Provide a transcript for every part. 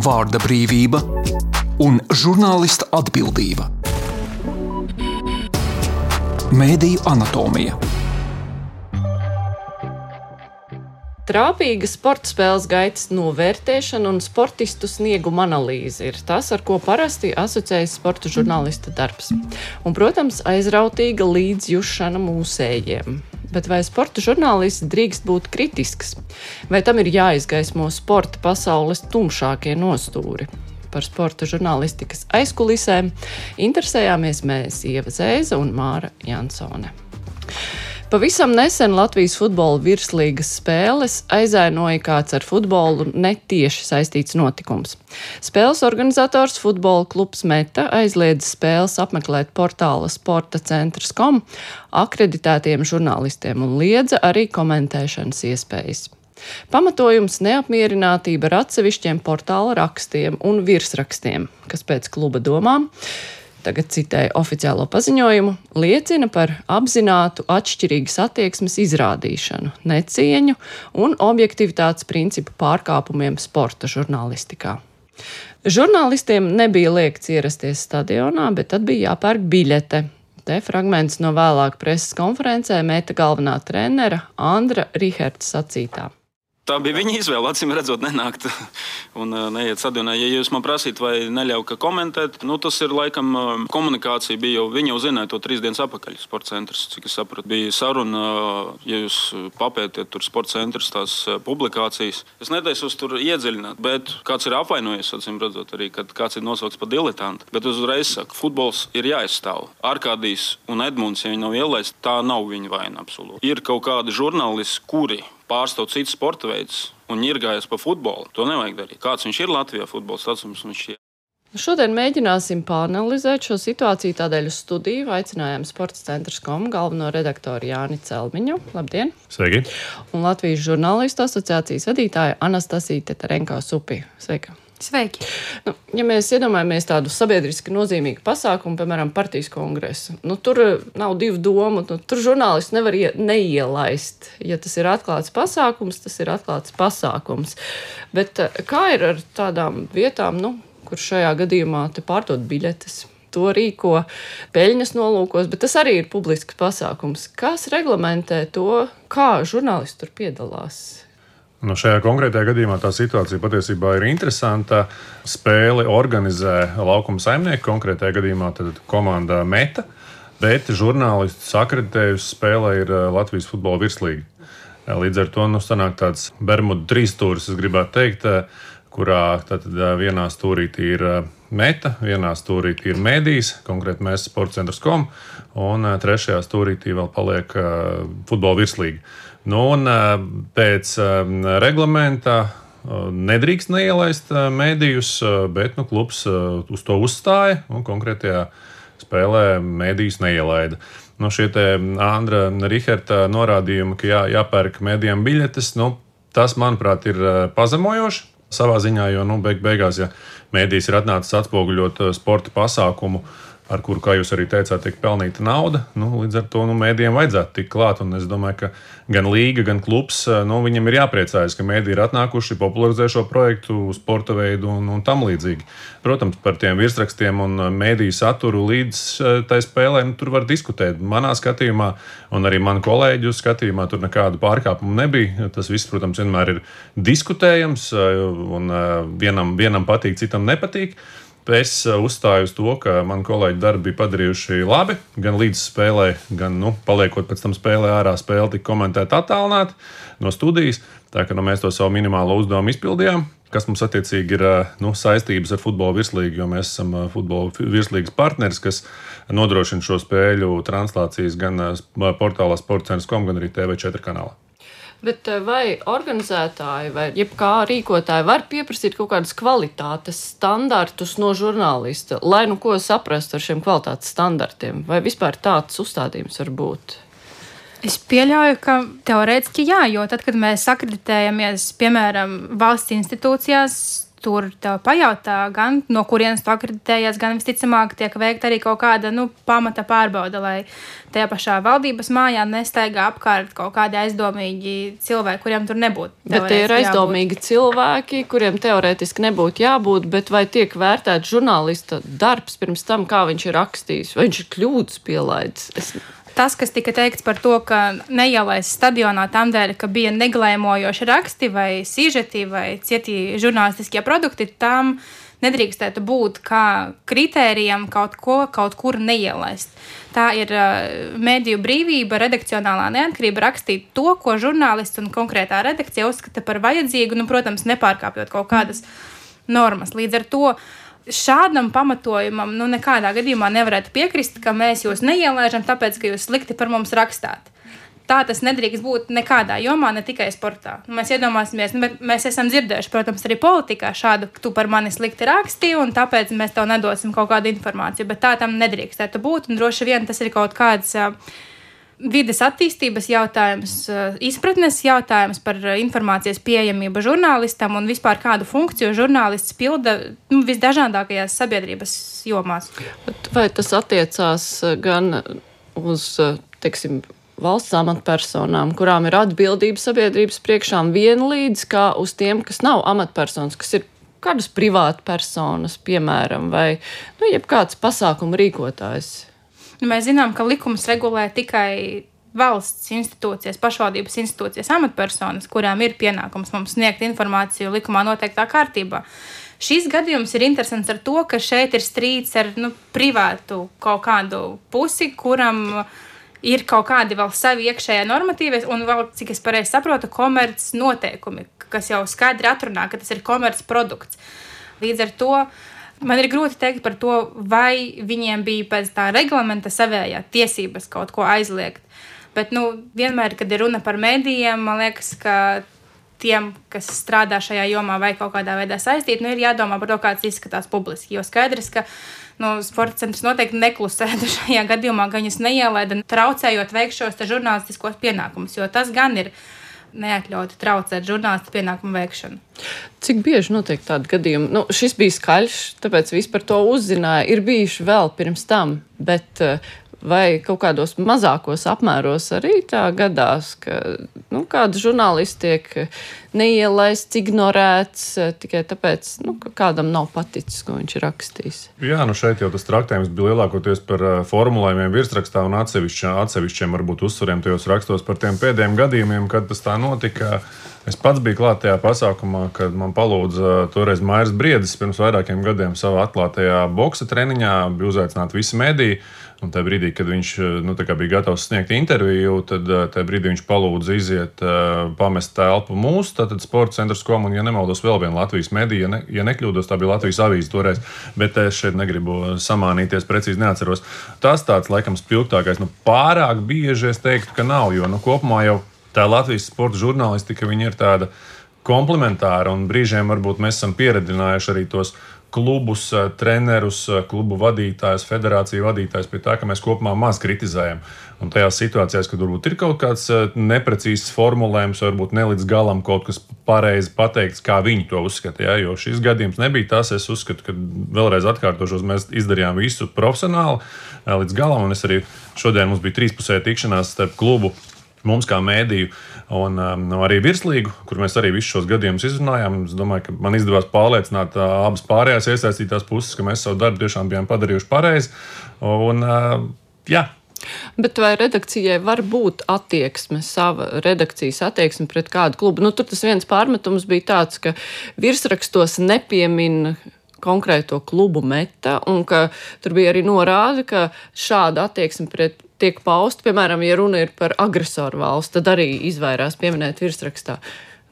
vārda brīvība un žurnālista atbildība. Mēdīju anatomija. Trāpīga sporta spēles gaitas novērtēšana un sportistu snieguma analīze ir tas, ar ko parasti asociējas sporta žurnālista darbs. Un, protams, aizrautīga līdzjūšana mūsējiem. Bet vai sporta žurnālists drīkst būt kritisks? Vai tam ir jāizgaismo sporta pasaules tumšākie nostūri? Par sporta žurnālistikas aizkulisēm interesējāmies mēs, Ieva Zēza un Māra Jansone. Pavisam nesen Latvijas futbola virslīgas spēles aizainoja kāds ar futbolu netieši saistīts notikums. Spēles organizators futbola klubs Meta aizliedz spēles apmeklēt portāla sportacentrs.com akreditētiem žurnālistiem un liedza arī komentēšanas iespējas. Pamatojums neapmierinātība ar atsevišķiem portāla rakstiem un virsrakstiem, kas pēc kluba domām, tagad citēju oficiālo paziņojumu, liecina par apzinātu atšķirīgas attieksmes izrādīšanu, necieņu un objektivitātes principu pārkāpumiem sporta žurnālistikā. Žurnālistiem nebija liegts ierasties stadionā, bet tad bija jāpērk biļete. Te fragments no vēlāk preses konferencē Meta galvenā trenera Andra Riherta sacītā. Tā bija viņa izvēle, acīm redzot, nenākt un neiet stadionā. Ja jūs man prasīt, vai neļauj komentēt, tas ir laikam komunikācija bija jau, viņa jau zināja to 3 dienas atpakaļ, sporta centrs, cik es sapratu. Bija saruna, ja jūs papētiet tur sporta centrs tās publikācijas. Es netaisos tur iedziļināt, bet kāds ir apvainojies, acīm redzot arī, kad kāds ir nosaukts par diletantu. Bet uzreiz saku, futbols ir jāizstāv. Arkādijs un Edmunds, ja viņi nav ielaisti, tā nav viņa vaina absolūti. Ir kaut kādi žurnālisti, kuri pārstāv citus sporta veidus un ņirgājas par futbolu. To nevajag darīt. Kāds viņš ir Latvijā futbols, tāds viņš ir. Šodien mēģināsim pāanalizēt šo situāciju, tādēļ uz studiju aicinājām sportacentrs.com galveno redaktoru Jāni Celmiņu. Labdien! Sveiki! Un Latvijas žurnālistu asociācijas vadītāja Anastasija Tetarenko-Supi. Sveika! Sveiki! Ja mēs iedomājamies tādu sabiedriski nozīmīgu pasākumu, piemēram, partijas kongresu, tur nav divu domu, tur žurnālisti nevar neielaist. Ja tas ir atklāts pasākums, tas ir atklāts pasākums. Bet kā ir ar tādām vietām, kur šajā gadījumā te pārdod biļetes? To rīko peļņas nolūkos, bet tas arī ir publisks pasākums. Kas reglamentē to, kā žurnālisti tur piedalās? Šajā konkrētajā gadījumā tā situācija patiesībā ir interesanta. Spēli organizē laukuma saimnieki, konkrētajā gadījumā tad komanda Meta, bet žurnālistus akreditējusi spēlē ir Latvijas futbola virslīga. Līdz ar to sanāk tāds Bermudu trīsstūris, es gribētu teikt, kurā vienā stūrītī ir Meta, vienā stūrītī ir Mēdījis, konkrēti mēs sportacentrs.com, un trešajā stūrītī vēl paliek futbola virslīga. Pēc reglamenta nedrīkst neielaist mēdījus, bet klubs uz to uzstāja un konkrētajā spēlē mēdījus neielaida. Šie te Andra Riherta norādījumi, ka jāpērk mēdījiem biļetes, tas, manuprāt, ir pazemojoši savā ziņā, jo beigās, ja mēdījis ir atnācis atspoguļot sporta pasākumu, ar kuru, kā jūs arī teicāt, tiek pelnīta nauda. Līdz ar to mēdījiem vajadzētu tikt klāt. Un es domāju, ka gan līga, gan klubs, viņam ir jāpriecājas, ka mēdīji ir atnākuši, popularizē šo projektu, sporta veidu un tam līdzīgi. Protams, par tiem virsrakstiem un mēdīju saturu līdz tai spēlē tur var diskutēt. Manā skatījumā un arī manu kolēģu skatījumā tur nekādu pārkāpumu nebija. Tas viss, protams, vienmēr ir diskutējams un vienam patīk, citam nepatīk. Es uzstāju uz to, ka mani kolēģi darbi bija padarījuši labi, gan līdz spēlē, gan paliekot pēc tam spēlē ārā, spēle tika komentēta attālināti no studijas. Tā kā mēs to savu minimālo uzdevumu izpildījām, kas mums attiecīgi ir saistības ar futbola virslīgu, jo mēs esam futbola virslīgas partneris, kas nodrošina šo spēļu translācijas gan portālā sportacentrs.com, gan arī TV4 kanālā. Bet vai organizētāji vai jebkā rīkotāji var pieprasīt kaut kādus kvalitātes standartus no žurnālista, lai ko saprastu ar šiem kvalitātes standartiem? Vai vispār tāds uzstādījums var būt? Es pieļauju, ka teorētiski jā, jo tad, kad mēs akreditējamies, piemēram, valsts institūcijās, tur tev pajautā, gan no kurienes tu akreditējies, gan visticamāk tiek veikta arī kaut kāda pamata pārbauda, lai tajā pašā valdības mājā nestaigā apkārt kaut kādi aizdomīgi cilvēki, kuriem tur nebūtu. Bet tie ir aizdomīgi cilvēki, kuriem teorētiski nebūtu jābūt, bet vai tiek vērtēts žurnālista darbs pirms tam, kā viņš ir rakstījis, vai viņš ir kļūdas pielaidis? Tas, kas tika teikts par to, ka neielaist stadionā tam dēļ, ka bija neglēmojoši raksti vai sižeti vai cieti žurnālistiskie produkti, tam nedrīkstētu būt kā kritērijam kaut kur neielaist. Tā ir mediju brīvība, redakcionālā neatkarība rakstīt to, ko žurnālists un konkrētā redakcija uzskata par vajadzīgu, protams, nepārkāpjot kaut kādas normas. Līdz ar to šādam pamatojumam nekādā gadījumā nevarētu piekrist, ka mēs jūs neielaižam, tāpēc, ka jūs slikti par mums rakstāt. Tā tas nedrīkst būt nekādā jomā, ne tikai sportā. Mēs iedomāsimies, bet mēs esam dzirdējuši, protams, arī politikā šādu, tu par mani slikti raksti, un tāpēc mēs tev nedosim kaut kādu informāciju, bet tā tam nedrīkstētu būt, un droši vien tas ir kaut kāds vides attīstības jautājums, izpratnes jautājums par informācijas pieejamību žurnālistam un vispār kādu funkciju žurnālists pilda visdažādākajās sabiedrības jomās. Vai tas attiecās gan uz, teiksim, valsts amatpersonām, kurām ir atbildība sabiedrības priekšām vienlīdz, kā uz tiem, kas nav amatpersonas, kas ir kādas privāta personas, piemēram, vai jebkāds pasākumu rīkotājs? Mēs zinām, ka likums regulē tikai valsts institūcijas, pašvaldības institūcijas amatpersonas, kurām ir pienākums mums sniegt informāciju likumā noteiktā kārtībā. Šis gadījums ir interesants ar to, ka šeit ir strīds ar privātu kaut kādu pusi, kuram ir kaut kādi vēl savi iekšējie normatīvi un vēl, cik es pareizi saprotu, komerc noteikumi, kas jau skaidri atrunā, ka tas ir komerc produkts. Līdz ar to man ir grūti teikt par to, vai viņiem bija pēc tā reglamenta savējā tiesības kaut ko aizliegt. Bet, vienmēr, kad ir runa par medijiem, man liekas, ka tiem, kas strādā šajā jomā vai kaut kādā veidā saistīt, ir jādomā par to, kāds izskatās publiski. Jo skaidrs, ka sporta centrs noteikti neklusētu šajā gadījumā, ka viņus neielaida, traucējot veikt šos žurnālistiskos pienākumus, jo tas gan ir neatļauti traucēt žurnālistu pienākumu veikšanu. Cik bieži notiek tādi gadījumi? Šis bija skaļš, tāpēc viss par to uzzināja. Ir bijuši vēl pirms tam, bet vai kaut kādos mazākos apmēros arī tā gadās, ka kāda žurnālisti tiek neielaists, ignorēts tikai tāpēc, ka kādam nav paticis, ko viņš ir rakstījis. Jā, šeit jau tas traktējums bija lielākoties par formulējumiem virsrakstā un atsevišķiem varbūt uzsvariem tajos rakstos par tiem pēdējiem gadījumiem, kad tas tā notika. Es pats biju klāt tajā pasākumā, kad man palūdza toreiz Mairis Briedis pirms vairākiem gadiem savā atklātajā boksa treniņā, bija uzaicināti visi mediji. Un tajā brīdī, kad viņš bija gatavs sniegt interviju, tad tajā brīdī viņš palūdza iziet, pamest telpu mūsu, tātad Sporta centrs un, ja nemaldos, vēl viena Latvijas medija, ja nekļūdos, tā bija Latvijas avīze toreiz, bet es šeit negribu samānīties, precīzi neatceros. Tas tāds, laikam, spilgtākais, pārāk bieži es teiktu, ka nav, jo kopumā jau tā Latvijas sporta žurnālistika, viņa ir tāda komplementāra, un brīžiem varbūt mēs esam pieredzinājuši arī tos klubus, trenerus, klubu vadītājus, federāciju vadītājus pie tā, ka mēs kopumā maz kritizējam. Un tajās situācijās, kad varbūt ir kaut kāds neprecīzs formulējums, varbūt ne līdz galam kaut kas pareizi pateikts, kā viņi to uzskata. Jo šis gadījums nebija tas, es uzskatu, ka vēlreiz atkārtošos, mēs izdarījām visu profesionāli līdz galam, un es arī šodien mums bija 3-pusēja tikšanās starp klubu, mums kā mēdīju un arī virslīgu, kur mēs arī visus šos gadījumus izrunājām. Es domāju, ka man izdevās pārliecināt abas pārējās iesaistītās puses, ka mēs savu darbu tiešām bijām padarījuši pareizi. Un, jā. Bet vai redakcijai var būt attieksme, sava redakcijas attieksme pret kādu klubu? Tur tas viens pārmetums bija tāds, ka virsrakstos nepiemin konkrēto klubu Meta, un ka tur bija arī norāde, ka šāda attieksme tiek pausta, piemēram, ja runa ir par agresoru valsts, tad arī izvairās pieminēt virsrakstā.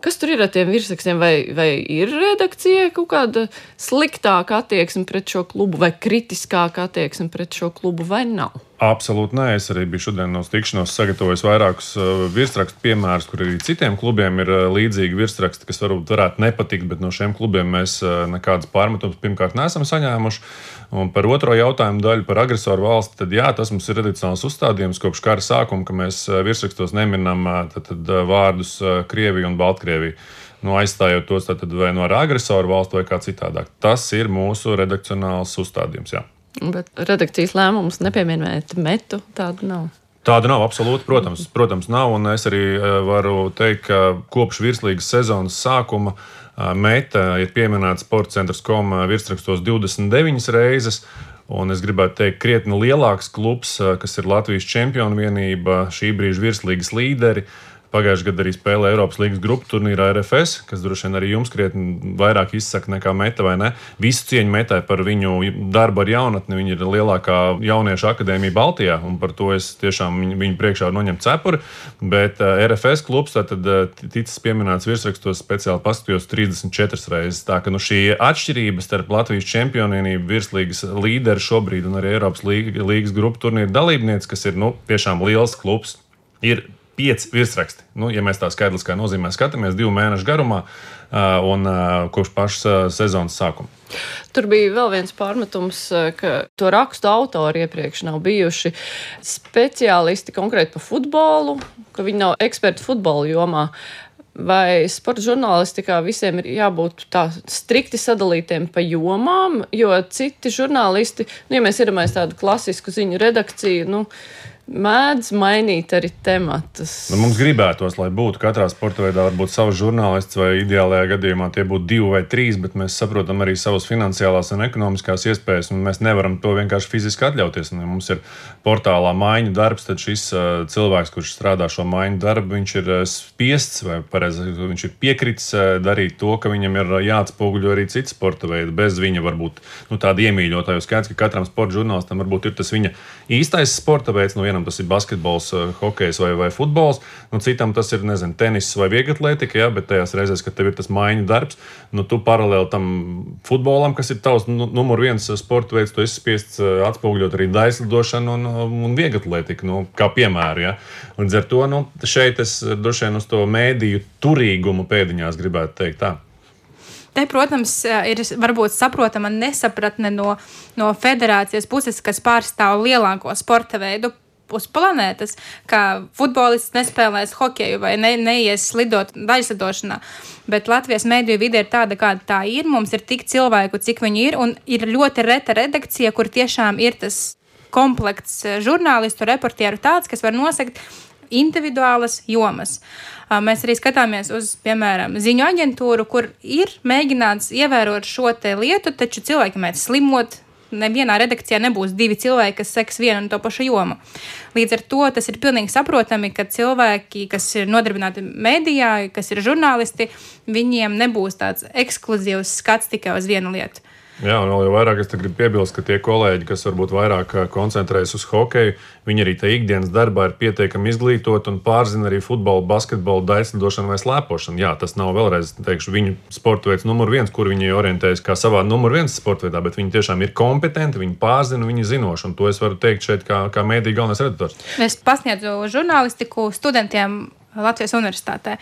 Kas tur ir ar tiem virsrakstiem? Vai ir redakcijai kaut kāda sliktāka attieksme pret šo klubu, vai kritiskāka attieksme pret šo klubu, vai nav? Absolūti nē. Es arī biju šodien no tikšanos sagatavojis vairākus virsrakstu piemērus, kur arī citiem klubiem ir līdzīgi virsraksti, kas varētu nepatikt, bet no šiem klubiem mēs nekādas pārmetumus pirmkārt neesam saņēmuši. Un par otro jautājumu daļu par agresoru valsti, tad jā, tas mums ir tradicionāls uzstādījums kopš kara sākuma, ka mēs virsrakstos neminam tad vārdus Krievija un Baltkrievija. aizstājot tos tad vai no ar agresoru valstu vai kā citādāk. Tas ir mūsu redakcionāls uzstādījums, jā. Bet redakcijas lēmums nepieminēt metu, tāda nav. Tāda nav absolūti, protams nav, un es arī varu teikt, ka kopš virslīgas sezonas sākuma meta ir pieminēta sportcentrs.com virsrakstos 29 reizes, un es gribētu teikt, krietni lielāks klubs, kas ir Latvijas čempionu vienība, šī brīža virslīgas līderi. Pagājušajā gadā arī spēlē Eiropas līgas grupu turnīrā RFS, kas droši vien arī jums krietni vairāk izsaka nekā meta, vai ne? Visu cieņu metai par viņu darbu ar jaunatni. Viņa ir lielākā jauniešu akadēmija Baltijā, un par to es tiešām viņu priekšā varu noņemt cepuri. Bet RFS klubs tad ticis pieminēts virsrakstos, speciāli paskatījos 34 reizes. Tā ka šī atšķirība starp Latvijas čempionienību virslīgas līderi šobrīd un arī Eiropas līgas grupu turnīra dalībniece, kas ir tiešām liels klubs, ir 5 virsraksti. Ja mēs tā skaidriskā nozīmē skatāmies 2 mēnešu garumā un kopš pašas sezonas sākuma. Tur bija vēl viens pārmetums, ka to rakstu autori iepriekš nav bijuši speciālisti konkrēti par futbolu, ka viņi nav eksperti futbola jomā. Vai sporta žurnālistikā visiem ir jābūt tā strikti sadalītiem pa jomām, jo citi žurnālisti, ja mēs iedomājamies tādu klasisku ziņu redakciju, mēdz mainīt arī tematus. Mums gribētos, lai būtu katrā sporta veidā varbūt savs žurnālists, vai ideālajā gadījumā tie būtu 2 vai 3, bet mēs saprotam arī savas finansiālās un ekonomiskās iespējas, un mēs nevaram to vienkārši fiziski atļauties. Ja mums ir portālā maiņu darbs, tad šis cilvēks, kurš strādā šo maiņu darbu, viņš ir spiests vai pareizi, viņš ir piekritis darīt to, ka viņam ir jāatspoguļo arī citi sporta veidi. Bez viņa varbūt tāda iemīļotāja skaits, ka katram sporta žurnālistam varbūt ir tas viņa īstais sporta veids. Vienam tas ir basketbols, hokejs vai futbols, citam tas ir, tenis vai vieglatlētika, bet tajās reizēs, kad tev ir tas maiņu darbs, tu paralēli tam futbolam, kas ir tavs numur 1 sporta veids, tu esi spiests atspoguļot arī daislidošanu un vieglatlētiku, kā piemēru, ja. Līdz ar to, šeit es droši vien uz to mēdīju turīgumu pēdiņās gribētu teikt tā. Te, protams, ir varbūt saprotama nesapratne no federācijas puses, kas pārstāv lielāko sporta veidu uz planētas, ka futbolists nespēlēs hokeju vai neies slidot daļslidošanā. Bet Latvijas mēdīju vide ir tāda, kāda tā ir. Mums ir tik cilvēku, cik viņi ir, un ir ļoti reta redakcija, kur tiešām ir tas komplekts žurnālistu, reportieru tāds, kas var nosegt individuālas jomas. Mēs arī skatāmies uz, piemēram, ziņu aģentūru, kur ir mēģināts ievērot šo te lietu, taču cilvēki mēdz slimot. Nevienā redakcijā nebūs 2 cilvēki, kas seks vienu un to pašu jomu. Līdz ar to tas ir pilnīgi saprotami, ka cilvēki, kas ir nodarbināti mēdījā, kas ir žurnālisti, viņiem nebūs tāds ekskluzīvs skats tikai uz vienu lietu. Jā, un vēl jau vairāk es gribu piebilst, ka tie kolēģi, kas varbūt vairāk koncentrējas uz hokeju, viņi arī tajā ikdienas darbā ir pietiekami izglītoti un pārzina arī futbolu, basketbolu, daļslidošanu vai slēpošanu. Jā, tas nav vēlreiz, teikšu, viņu sporta veids numur 1, kur viņi orientējas kā savā numur 1 sporta veidā, bet viņi tiešām ir kompetenti, viņi pārzina, viņi zinoši, un to es varu teikt šeit kā mēdīju galvenais redaktors. Es pasniedzu žurnālistiku studentiem Latvijas universitātē.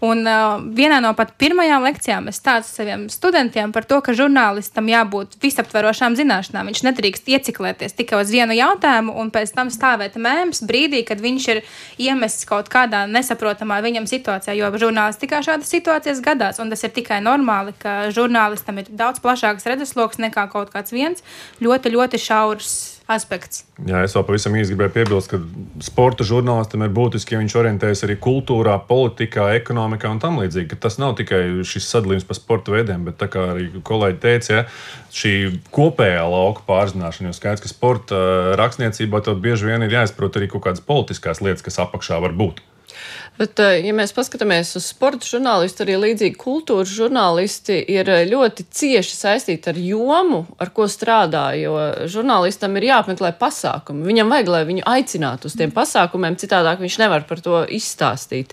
Un vienā no pat pirmajām lekcijām es stāstu saviem studentiem par to, ka žurnālistam jābūt visaptverošām zināšanām. Viņš nedrīkst ieciklēties tikai uz vienu jautājumu un pēc tam stāvēt mēms brīdī, kad viņš ir iemests kaut kādā nesaprotamā viņam situācijā, jo žurnālistikā šādas situācijas gadās, un tas ir tikai normāli, ka žurnālistam ir daudz plašāks redzesloks nekā kaut kāds viens ļoti, ļoti šaurs aspekts. Jā, es vēl pavisam īsti gribēju piebilst, ka sporta žurnālistam ir būtiski, ja viņš orientējas arī kultūrā, politikā, ekonomikā un tam līdzīgi, ka tas nav tikai šis sadalījums pa sporta veidiem, bet tā kā arī kolēģi teica, šī kopējā lauka pārzināšana, jo skaidrs, ka sporta rakstniecībā tev bieži vien ir jāizprot arī kaut kādas politiskās lietas, kas apakšā var būt. Bet, ja mēs paskatāmies uz sporta žurnālistu, arī līdzīgi kultūras žurnālisti ir ļoti cieši saistīti ar jomu, ar ko strādā, jo žurnālistam ir jāapmeklē pasākumi. Viņam vajag, lai viņu aicinātu uz tiem pasākumiem, citādāk viņš nevar par to izstāstīt.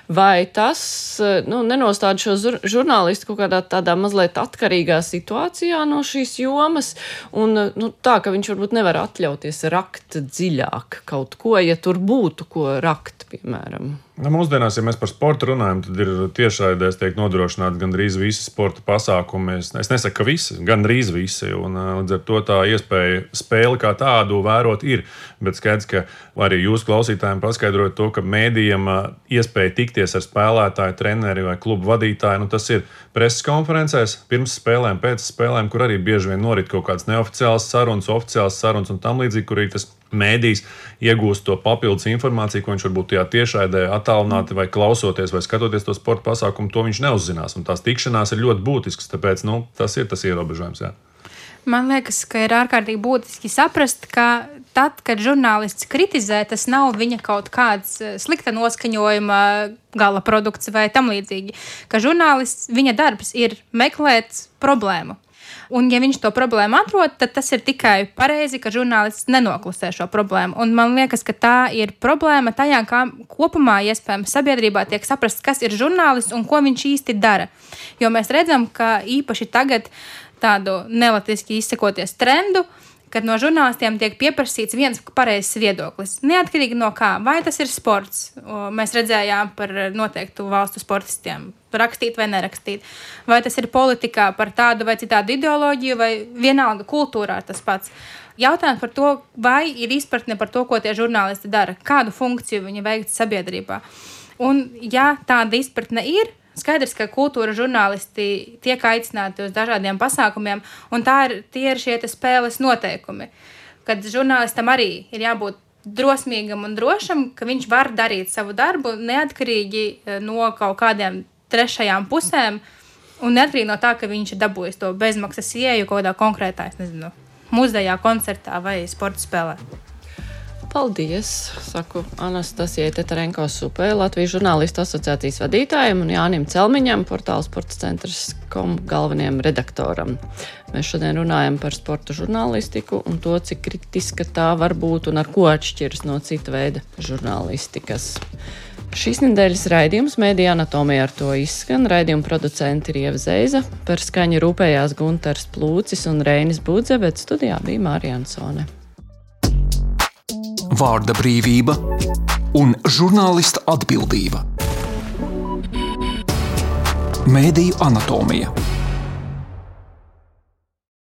Vai tas nenostāda šo žurnālistu kaut kādā tādā mazliet atkarīgā situācijā no šīs jomas, un tā, ka viņš varbūt nevar atļauties rakt dziļāk kaut ko, ja tur būtu ko rakt, piemēram? piemēram? Mūsdienās, ja mēs par sportu runājam, tad ir tiešraidēs tiek nodrošināti gandrīz visi sporta pasākumi. Es nesaku, ka visi, gandrīz visi. Un, līdz ar to tā iespēja spēli kā tādu vērot ir. Bet skaidrs, ka arī jūs klausītājiem paskaidrojat to, ka mēdījiem iespēja tikties ar spēlētāju, treneri vai klubu vadītāju, tas ir preses konferencēs, pirms spēlēm, pēc spēlēm, kur arī bieži vien norit kaut kādas neoficiālas sarunas, oficiālas sarunas un tam līdzīgi, kur arī tas mēdījis iegūst to papildus informāciju, ko viņš varbūt tajā tiešraidē attālināti vai klausoties vai skatoties to sporta pasākumu, to viņš neuzzinās. Un tās tikšanās ir ļoti būtiskas, tāpēc tas ir tas ierobežojums. Jā. Man liekas, ka ir ārkārtīgi būtiski saprast, ka tad, kad žurnālists kritizē, tas nav viņa kaut kāds slikta noskaņojuma gala produkts vai tam līdzīgi. Ka žurnālists, viņa darbs ir meklēt problēmu. Un, ja viņš to problēmu atrod, tad tas ir tikai pareizi, ka žurnālists nenoklusē šo problēmu. Un man liekas, ka tā ir problēma tajā, kā kopumā iespējams sabiedrībā tiek saprasts, kas ir žurnālists un ko viņš īsti dara. Jo mēs redzam, ka īpaši tagad tādu nelatiski izsakoties trendu, kad no žurnālistiem tiek pieprasīts viens pareizs viedoklis. Neatkarīgi no kā, vai tas ir sports. Mēs redzējām par noteiktu valstu sportistiem, rakstīt vai nerakstīt. Vai tas ir politikā par tādu vai citādu ideoloģiju, vai vienalga kultūrā tas pats. Jautājums par to, vai ir izpratne par to, ko tie žurnālisti dara, kādu funkciju viņi veikt sabiedrībā. Un ja tāda izpratne ir, skaidrs, ka kultūra žurnālisti tiek aicināti uz dažādiem pasākumiem, un tie ir šie spēles noteikumi. Kad žurnālistam arī ir jābūt drosmīgam un drošam, ka viņš var darīt savu darbu neatkarīgi no kaut kādiem trešajām pusēm, un neatkarīgi no tā, ka viņš ir dabūjis to bezmaksas ieeju kaut kādā konkrētā, muzejā, koncertā vai sporta spēlē. Paldies, saku Anastasijai Tetarenko-Supē, Latvijas žurnālistu asociācijas vadītājiem un Jānim Celmiņam, portāla Sports centrs.com galvenajam redaktoram. Mēs šodien runājam par sporta žurnālistiku un to, cik kritiska tā var būt un ar ko atšķiras no cita veida žurnālistikas. Šīs nedēļas raidījums Mēdīja anatomija ar to izskan. Raidījuma producenti ir Ieva Zeiza, par skaņu rūpējās Guntars Plūcis un Reinis Budze, bet studijā bija Mārija Ansone. Vārda brīvība un žurnālista atbildība. Mēdīju anatomija.